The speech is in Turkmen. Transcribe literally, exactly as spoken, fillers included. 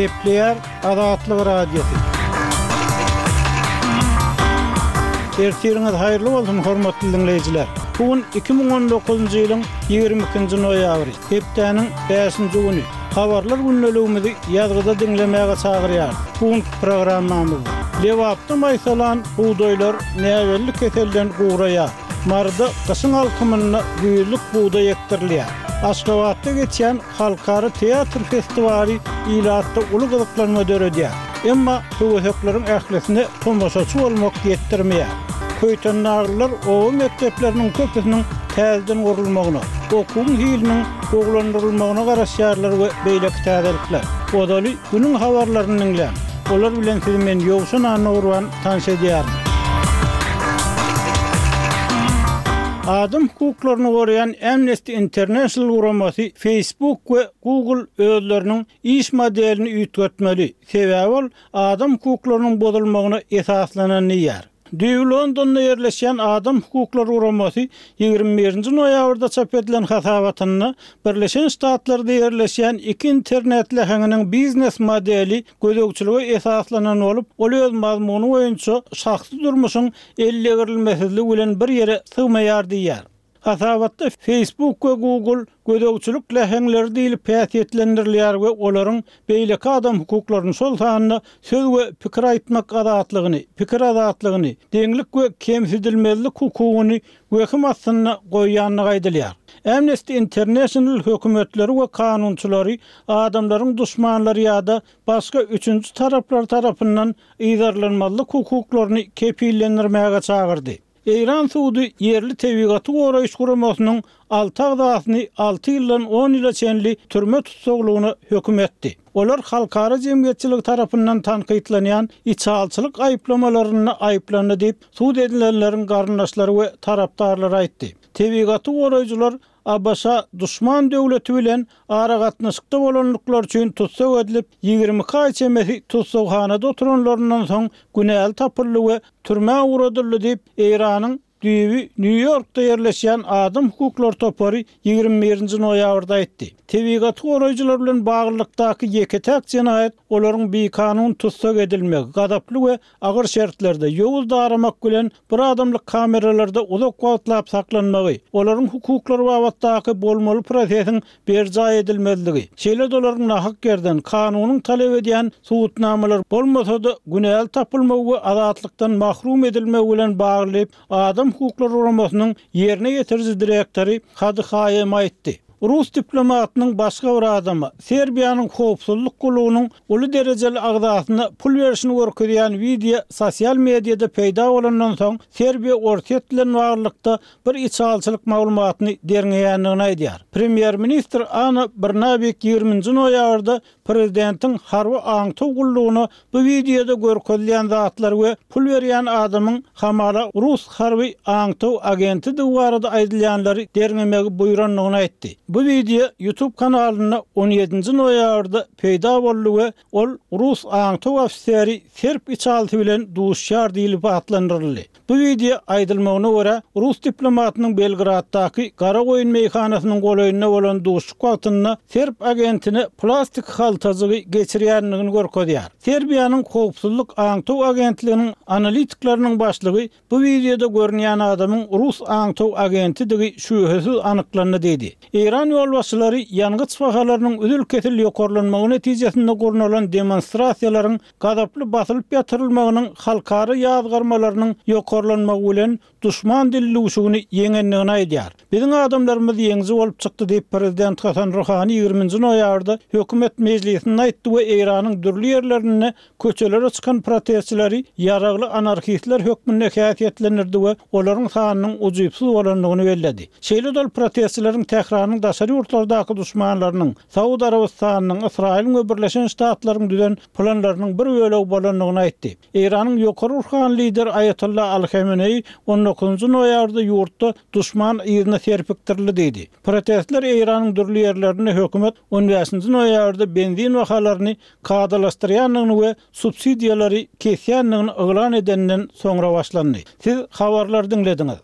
Gepleýär Azatlyk Radiosy. Ertiriňiz haýyrly bolsun, hormatly diňleýjiler! Bu gün iki müň on dokuzynjy ýylyň ýigrimi ikinji noýabry, hepdäniň bäşinji güni. Habarlar gündeligimizi ýazgyda diňlemäge çagyrýarys. Bu günki programmamyzda Lebapda maýsalan bugdaýlar näbelli keselden guraýar. Maryda gyşyň alkymynda güýzlük bugdaý ekdirilýär. Aşgabatda geçýän halkara teatr festiwaly ilatda uly gyzyklanma döredýär. Emma höwesekleriň ählisine tomaşaçy bolmak ýetdirmeýär. Köýtendaglylar oba mekdepleriniň köpüsiniň täzeden gurulmagyna, okuwyň hiliniň gowulandyrylmagyna garaşýarlar we beýleki täzelikler. Ozaly günüň habarlaryny diňläň. Olar bilen sizi men Ýowşan Annagurban tanyş edýärin. Adam hukuklaryny goraýan Amnesty International guramasy Facebook we Google özleriniň iş modelini üýtgetmeli, sebäbi ol adam hukuklarynyň bozulmagyna esaslanan diýýär. Düýbi Londonda ýerleşýän Adam hukuklary guramasy ýigrimi birinji noýabrda çap edilen hasabatynda Birleşen Ştatlarda ýerleşýän iki internet läheňiniň biznes modeli gözegçilige esaslanan bolup, ol öz mazmuny boýunça şahsy durmuşyň ellegirilmesizligi bilen bir ýere sygmaýar diýýär. Hasabatda Facebook we Google gözegçilik läheňleri diýlip häsiýetlendirilýär we olaryň beýleki adam hukuklaryny, şol sanda söz we pikir aýtmak azatlygyny, pikir azatlygyny, deňlik we kemsidilmezlik hukugyny wehim astynda goýýandygy aýdylýar. Amnesty International hökümetleri we kanunçylary adamlaryň duşmanlary ýa-da başga üçünji taraplar tarapyndan yzarlanmazlyk hukuklaryny kepillendirmäge çagyrdy. Eýran sudy ýerli tebigaty goraýyş guramasynyň alty agzasyny alty ýyldan on ýyla çenli türme tussaglygyna höküm etdi. Olar halkara jemgyýetçiligi tarapyndan tankytlanýan içalçylyk aýyplamalarynda aýyplandy diýip, sud edilenleriň garyndaşlary we tarapdarlary aýtdy. Tebigaty goraýjylar A B Ş duşman döwleti bilen aragatnaşykda bolanlyklary üçin tussag edilip, ýigrimi iki aý çemesi tussaghanada oturanlaryndan soň günäli tapyldy we türmä ugradyldy diýip, Eýranyň düýbi Nýu-Ýorkda ýerleşýän Adam hukuklary topary ýigrimi birinji noýabrda aýtdy. Tebigaty goraýjylar bilen baglylykdaky ýeke-täk jenaýat olaryň bikanun tussag edilmegi, gazaply we agyr şertlerde ýowuz daramak bilen bir adamlyk kameralarda uzak wagtlap saklanmagy, olaryň hukuklary babatdaky bolmaly prosesiň berjaý edilmezligi, şeýle-de olaryň nahak ýerden kanunyň talap edýän subutnamalar bolmasa-da günäli tapylmagy we azatlykdan mahrum edilmegi bilen bagly Adam hukuklary guramasynyň ýerine ýetiriji direktory Hadi Haýem aýtdy. Rus diplomatynyň başga bir adama, Serbiýanyň howpsuzlyk gullugynyň uly derejeli agzasyna pul berişini görkezýän wideo sosial mediada peýda bolandan soň Serbiýa Orsýet bilen baglylykda bir içalçylyk maglumatyny derňeýändigini aýdýar. Premýer-ministr Ana Brnabiç ýigriminji noýabrda prezidentiň harby aňtaw gullugyna bu wideoda görkezilýän zatlar we pul berýän adamyň hamala rus harby aňtaw agentidigi barada aýdylýanlary derňemegi buýrandygyny aýtdy. Bu wideo YouTube kanalynda on ýedinji noýabrda peýda boldy we ol rus aňtaw ofiseri serb içalsy bilen duşýar diýlip atlandyryldy. Bu wideo aýdylmagyna görä, rus diplomatynyň Belgraddaky Garagoýun meýhanasynyň golaýynda bolan duşuşyk wagtynda serb agentine plastik haltajygy geçirýändigini görkezýär. Serbiýanyň howpsuzlyk aňtaw agentliginiň analitikleriniň başlygy bu wideoda görünýän adamyň rus aňtaw agentidigi şübhesiz anyklandy diýdi. Eýran ýolbaşçylary ýangyç bahalarynyň üzül-kesil ýokarlanmagy netijesinde gurnalan demonstrasiýalaryň gazaply basylyp ýatyrylmagynyň halkara ýazgarmalarynyň ýokarlanmagy bilen duşman dilluşygyny ýeňendigini aýdýar. Biziň adamlarymyz ýeňiji bolup çykdy diýip prezident Hasan Ruhani ýigriminji noýabrda hökümet mejlisinde aýtdy we Eýranyň dürli ýerlerinde köçelere çykan protestçileri ýaragly anarhistler hökmünde häsiýetlendirdi we olaryň sanynyň ujypsyz bolandygyny belledi. Şeýle-de ol protestçileriň Tähranyň daşary ýurtlardaky duşmanlarynyň, Saud Arabystanynyň, Ysraýylyň we Birleşen Ştatlaryň düzen planlarynyň bir bölegi bolandygyny aýtdy. Eýranyň ýokary ruhany lideri Aýatollah Ali Hameneýi on dokuzynjy noýabrda ýurtda duşman yzyna serpikdirildi diýdi. Protestler Eýranyň dürli ýerlerinde hökümet on bäşinji noýabrda benzin bahalaryny kadalaşdyrýandygyny we subsidiýalary kesýändigini yglan edenden soňra başlandy. Siz habarlary diňlediňiz.